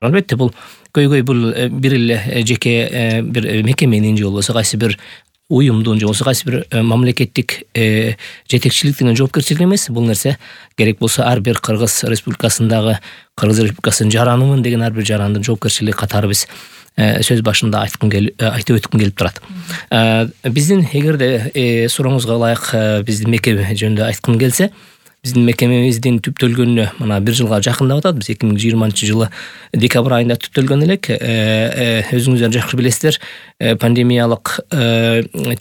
Албетте бул көйгөй бул бир эле жеке бир мекеменин же болбосо кайсы бир уюмдун же болбосо кайсы бир мамлекеттик жетекчиликтин жоопкерчилиги эмес. Бул нерсе керек болсо ар бир Кыргыз Республикасындагы Кыргыз Республикасынын жаранымын деген ар бир жарандын жоопкерчилиги катары биз сөз башында айтып өткүм келип турат. Биздин эгерде сурооңузга ылайык биздин мекеме жөнүндө айткым келсе, биздин мекемебиздин түптөлгөнүнө мына 1 жылга жакындап атат. Биз 2020-жылы декабрь айында түптөлгөн элек. Өзүңүздөр жакшы билесиздер, пандемиялык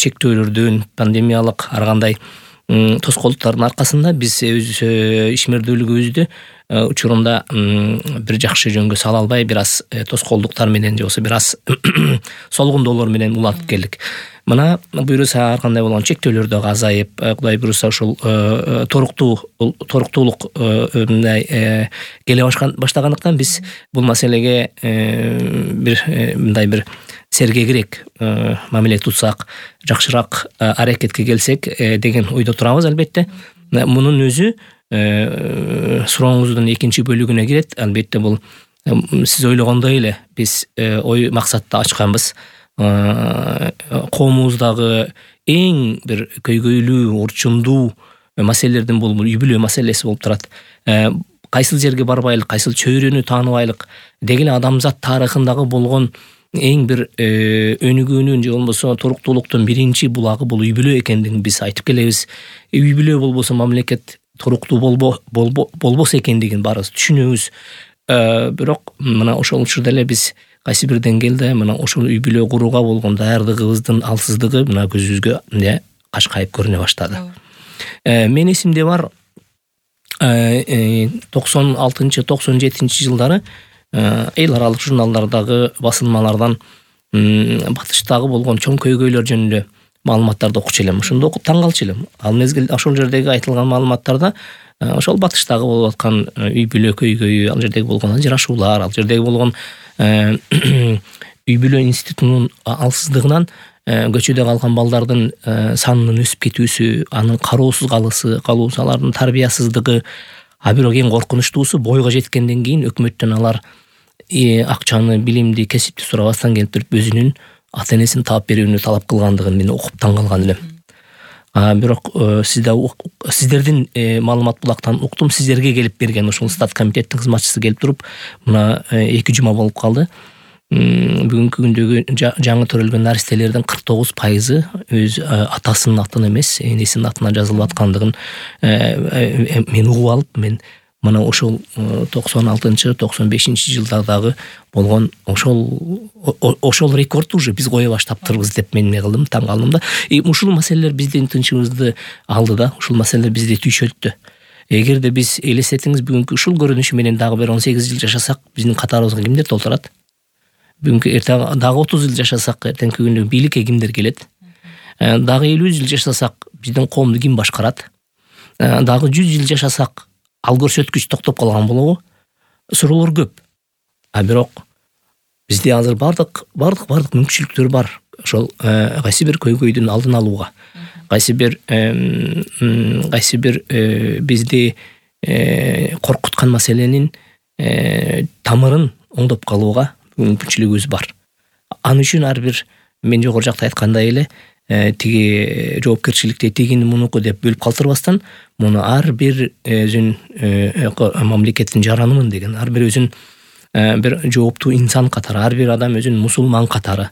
чектөөлөрдүн, пандемиялык ар кандай тоскоолдуктардын аркасында биз өз ишмердүүлүгүбүздү учурунда бир жакшы жөнгө сала албай, бир аз тоскоолдуктар менен же болбосо бир аз солгундоолор менен улантып келдик. Мына буюрса ар кандай болгон чектөөлөр дагы азайып, Кудай буюрса ушул торуктуулук мындай келе баштагандыктан биз бул маселеге мындай бир сергегирээк мамиле тутсак, жакшыраак аракетке келсек деген ойдо турабыз. Албетте мунун өзү сурооңуздун экинчи бөлүгүнө кирет. Албетте бул сиз ойлогондой эле биз ой максатты ачканбыз. Коомубуздагы эң бир көйгөйлүү, урчундуу маселелердин бул үй бүлө маселеси болуп турат. Кайсыл жерге барбайлык, кайсыл чөйрөнү тааныбайлык деги эле адамзат тарыхындагы болгон эң бир өнүгүүнүн же болбосо туруктуулуктун биринчи булагы бул үй бүлө экендигин биз айтып келебиз. Үй бүлө болбосо мамлекет туруктуу болбосо экендигин баарыбыз түшүнөбүз. Бирок мына ошол учурда эле биз кайсы бир деңгээлде мына ошол үй бүлө курууга болгон даярдыгыбыздын алсыздыгы мына көзүбүзгө кашкайып көрүнө баштады. Мен эсимде бар 96-97 жылдары эл аралык журналдардагы басылмалардан батыштагы болгон чоң көйгөйлөр жөнүндө маалыматтарды окучу элем. Ошондо окуп таң калчу элем. Ал мезгил ошол жердеги айтылган маалыматтарда ошол батыштагы болуп аткан үй бүлө көйгөйү, ал жердеги болгон ажырашуулар, ал жердеги болгон үй бүлө институтунун алсыздыгынан көчөдө калган балдардын санынын өсүп кетүүсү, анын кароосуз калуусу, алардын тарбиясыздыгы, а бирок эң коркунучтуусу бойго жеткенден кийин өкмөттөн алар акчаны, билимди, кесипти сурабастан келип туруп өзүнүн ата энесин таап берүүнү талап кылгандыгын мен окуп таң калган элем. Бирок сиздердин маалымат булактан уктум, сиздерге келип берген ушул стат комитеттин кызматчысы келип туруп мына 2 жума болуп калды. Бүгүнкү күндөгү жаңы төрөлгөн наристелердин 49% өз атасынын атына эмес, энесинин атына жазылып аткандыгын мен угуп алып, мен мына ошол 96-95 жылдардагы болгон ошол рекордду уже биз кое баштаптырбыз деп мен эмне кылдым, таң калдым да. Ушул маселелер биздин тынчыбызды алды да, ушул маселелер бизди түйшөлттү. Эгерде биз элестетиңиз, бүгүнкү ушул көрүнүшү менен дагы бир 18 жыл жашасак, биздин катарыбызга кимдер толтурат? Бүгүнкү дагы 30 жыл жашасак, эртеңки күндө бийликке кимдер келет? Дагы 50 жыл жашасак, биздин коомду ким башкарат? Дагы 100 жыл жашасак, ал көрсөткүч токтоп калган болобу? Суроолор көп. Бирок бизде азыр бардык мүмкүнчүлүктөр бар. Ошол кайсы бир көйгөйдүн алдын алууга, кайсы бир бизди коркуткан маселенин тамырын оңдоп калууга мүмкүнчүлүгүбүз бар. Ал үчүн ар бир мен жогору жакта айткандай эле тиги жоопкерчиликти тигини мунуку деп бөлүп калтырбастан, муну ар бир өзүн мамлекеттин жаранымын деген, ар бир өзүн бир жооптуу инсан катары, ар бир адам өзүн мусулман катары,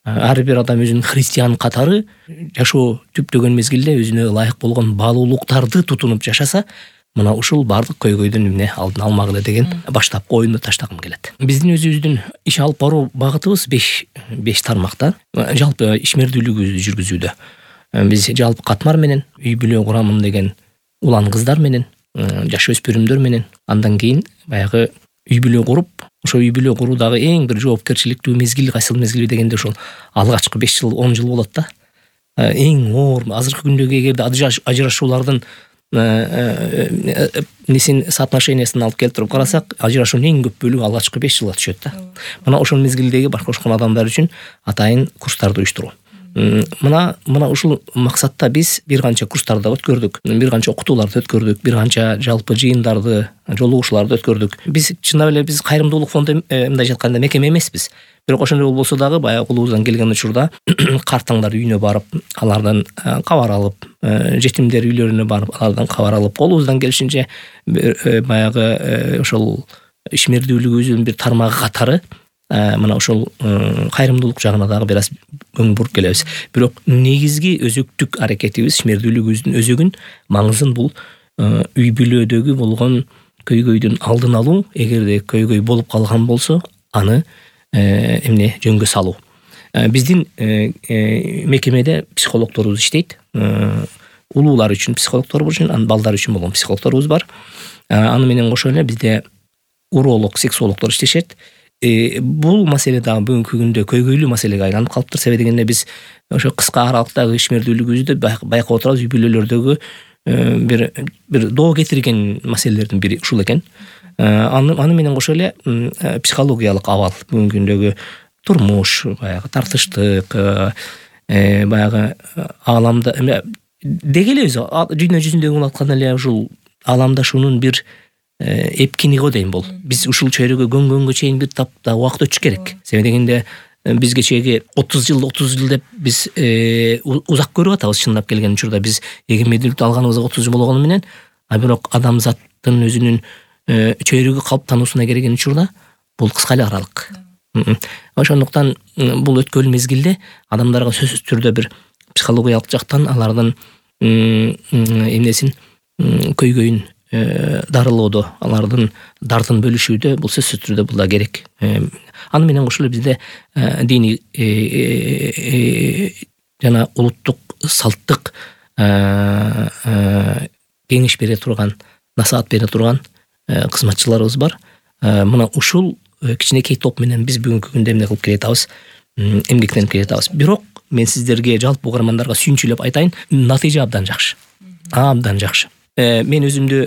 ар бир адам өзүн христиан катары жашоо түптөгөн мезгилде өзүнө ылайык болгон баалуулуктарды тутунуп жашаса, мына ушул бардык көйгөйдүн эмне алдын алмак эле деген баштапкы оюмду таштагым келет. Биздин өзүбүздүн иш алып баруу багытыбыз 5 тармакта. Жалпы ишмердүүлүгүбүздү жүргүзүүдө биз жалпы катмар менен, үй бүлө курамын деген улан кыздар менен, жаш өспүрүмдөр менен, андан кийин баягы үй бүлө куруп, ошо үй бүлө куруудагы эң бир жоопкерчиликтүү мезгил кайсыл мезгил дегенде ошол алгачкы 5 жыл, 10 жыл болот да. Эң оор азыркы күндөгү эгерде ажырашуулардын несин соотношениясын алып келтирип карасак, ажырашуунун эң көп бөлүгү алгачкы 5 жылга түшөт да. Мына ошол мезгилдеги баш кошкон адамдар үчүн атайын курстарды уюштуруу. Мына ушул максатта биз бир канча курстарды өткөрдүк, бир канча окутууларды өткөрдүк, бир канча жалпы жыйындарды, жолугушууларды өткөрдүк. Биз чындап эле биз кайрымдуулук фонду мындай айтканда мекеме эмеспиз. Бирок ошондой болбосо дагы баягы колубуздан келген учурда картаңдар үйүнө барып, алардан кабар алып, жетимдер үйлөрүнө барып, алардан кабар алып, колубуздан келишинче баягы ошол ишмердүүлүгүбүздүн бир тармагы катары мына ошол кайрымдуулук жагына дагы бир аз көңүл буруп келебиз. Бирок негизги өзөктүк аракетибиз, ишмердүүлүгүбүздүн өзөгүн, маңызын бул үй бүлөдөгү болгон көйгөйдүн алдын алуу. Эгерде көйгөй болуп калган болсо, аны жөнгө салуу. Биздин мекемеде психологдорубуз иштейт. Улуулар үчүн психологдорубуз, балдар үчүн болгон психологдорубуз бар. Аны менен кошо эле бизде уролог, сексологдор иштешет. Бул маселе дагы бүгүнкү күндө көйгөйлүү маселеге айланып калыптыр. Себеби дегенде биз ошо кыска аралыктагы ишмердүүлүгүбүздү байкап отурабыз. Үй бүлөлөрдөгү бир доо кетирген маселелердин бири ушул экен. Аны менен кошо эле психологиялык абал, бүгүнкү күндөгү турмуш, баягы тартыштык, баягы ааламда деги эле өзү дүйнө жүзүндөгү болуп аткан эле ушул ааламдашуунун бир эпкини го дейм бул. Биз ушул чөйрөгө көнгөнгө чейин бир тапта убакыт өтүш керек. Себеби дегенде биз кечеги 30 жыл деп биз узак көрүп атабыз. Чындап келген учурда биз эгемендүүлүктү алганыбызга 30 жыл болгону менен, бирок адамзаттын өзүнүн чөйрөгү калыптануусуна келген учурда бул кыска эле аралык. Ошондуктан бул өткөн мезгилде адамдарга сөзсүз түрдө бир психологиялык жактан алардын эмнесин, көйгөйүн дарылоодо, алардын дартын бөлүшүүдө бул сөзсүз түрдө бул да керек. Аны менен кошо эле бизде диний жана улуттук салттык кеңеш бере турган, насаат бере турган кызматчыларыбыз бар. Мына ушул кичинекей топ менен биз бүгүнкү күндө эмне кылып келатабыз, эмгектенип келатабыз. Бирок мен сиздерге, жалпы угармандарга сүйүнчүлөп айтайын, натыйжа абдан жакшы. Абдан жакшы. Мен өзүмдү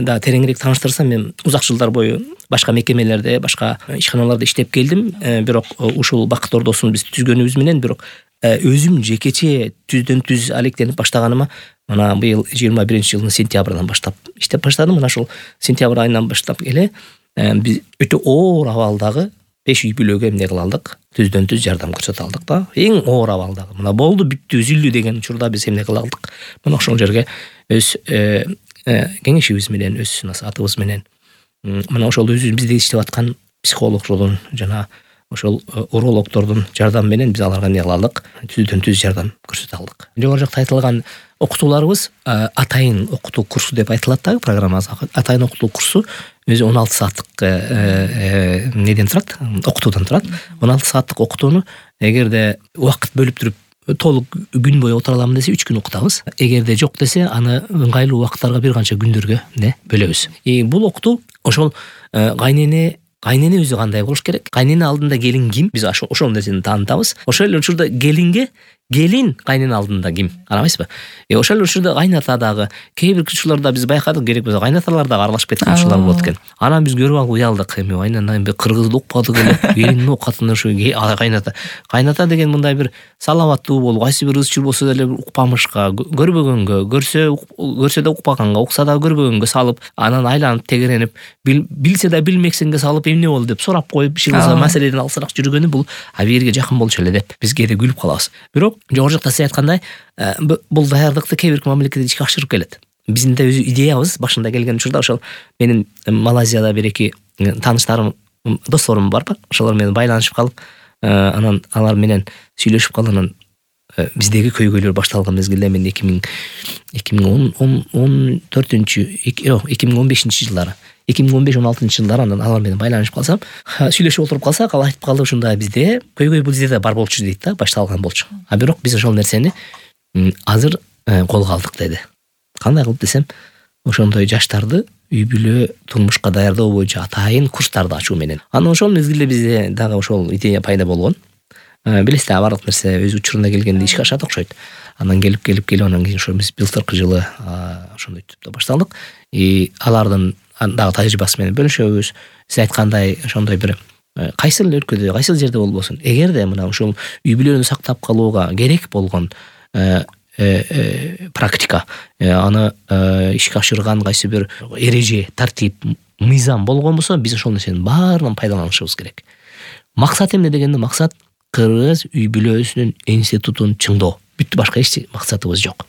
да тереңирээк тааныштырсам, мен узак жылдар бою башка мекемелерде, башка ишканаларда иштеп келдим. Бирок ушул Бакыт Ордосун биз түзгөнүбүз менен, бирок өзүм жекече түздөн түз алектенип баштаганыма мына быйыл 21-жылдын сентябрынан баштап иштеп баштадым. Мына ушул сентябрь айынан баштап эле биз өтө оор абалдагы 5 үй бүлөгө эмне кыла алдык, түздөн түз жардам көрсөтө алдык да. Эң оор абалдагы. Мына болду, бүттү, үзүлдү деген учурда биз эмне кыла алдык? Мына ошол жерге өз кеңешибиз менен, өз насаатыбыз менен, мына ошол өзүбүз бизде иштеп аткан психологдордун жана ошол урологдордун жардамы менен биз аларга эмне кыла алдык? Түздөн түз жардам көрсөтө алдык. Жогору жакта айтылган окутууларыбыз атайын окутуу курсу деп айтылат да, программабыз. Атайын окутуу курсу өзү 16 сааттык неден турат, окутуудан турат. 16 сааттык окутууну эгерде убакыт бөлүп туруп толук күн бою отура аламын десе 3 күн окутабыз. Эгерде жок десе, аны ыңгайлуу убакыттарга бир канча күндөргө бөлөбүз. Бул окутуу ошол кайнене өзү кандай болуш керек? Кайнене алдында келин ким? Биз ошол нерсени таанытабыз. Ошол эле учурда келин кайнене алдында ким? Карабайсызбы? Ошол эле учурда кайната дагы кээ бир учурларда биз байкадык, керек болсо кайнаталар дагы аралашып кеткен учурлар болот экен. Анан биз көрүп алып уялдык. Кайнана бир кыргызды укпадык эле. Келиндин окатына ушу кайната деген мындай бир саламаттуу болуп, кайсы бир ызчыр болсо деле укпамышка, көрбөгөнгө, көрсө да укпаганга, укса да көрбөгөнгө салып, анан айланып тегеренип, билсе да билмексенге салып эмне болду деп сурап коюп, бир кылса маселеден алысыраак жүргөнү бул абийирге жакын болчу эле деп биз кээде күлүп калабыз. Бирок жогору жакта сиз айткандай, бул даярдыкты кээ бир мамлекеттер ишке ашырып келет. Биздин да өзү идеябыз башында келген учурда ошол менин Малайзияда бир-эки тааныштарым, досторум бар. Ошолор менен байланышып калып, анан алар менен сүйлөшүп калып, анан биздеги көйгөйлөр башталган мезгилде мен 2015 жылдары 2015-16 жылдары анан алар менен байланышып калсам, сүйлөшүп отуруп калсак, ал айтып калды, ушундай бизде көйгөй бул жерде бар болчу дейт да, башталган болчу. Бирок биз ошол нерсени азыр колго алдык деди. Кандай кылып десем, ошондой жаштарды үй бүлө турмушка даярдоо боюнча атайын курстарды ачуу менен. Анан ошол мезгилде бизде дагы ошол идея пайда болгон. Билесиз, баардык нерсе өз учурунда келгенде ишке ашат окшойт. Анан келип анан кийин ошо биз былтыркы жылы ошондой түптө башталдык. Алардын дагы тажрыйбасы менен бөлүшөбүз. Сиз айткандай ошондой бир кайсыл өлкөдө, кайсыл жерде болбосун, эгерде мына ушул үй бүлөнү сактап калууга керек болгон практика, аны ишке ашырган кайсы бир эреже, тартип, мыйзам болгон болсо, биз ошол нерсенин баарынан пайдаланышыбыз керек. Максат эмне дегенде, максат кыргыз үй бүлөсүнүн институтун чыңдоо. Бүттү, башка эч максатыбыз жок.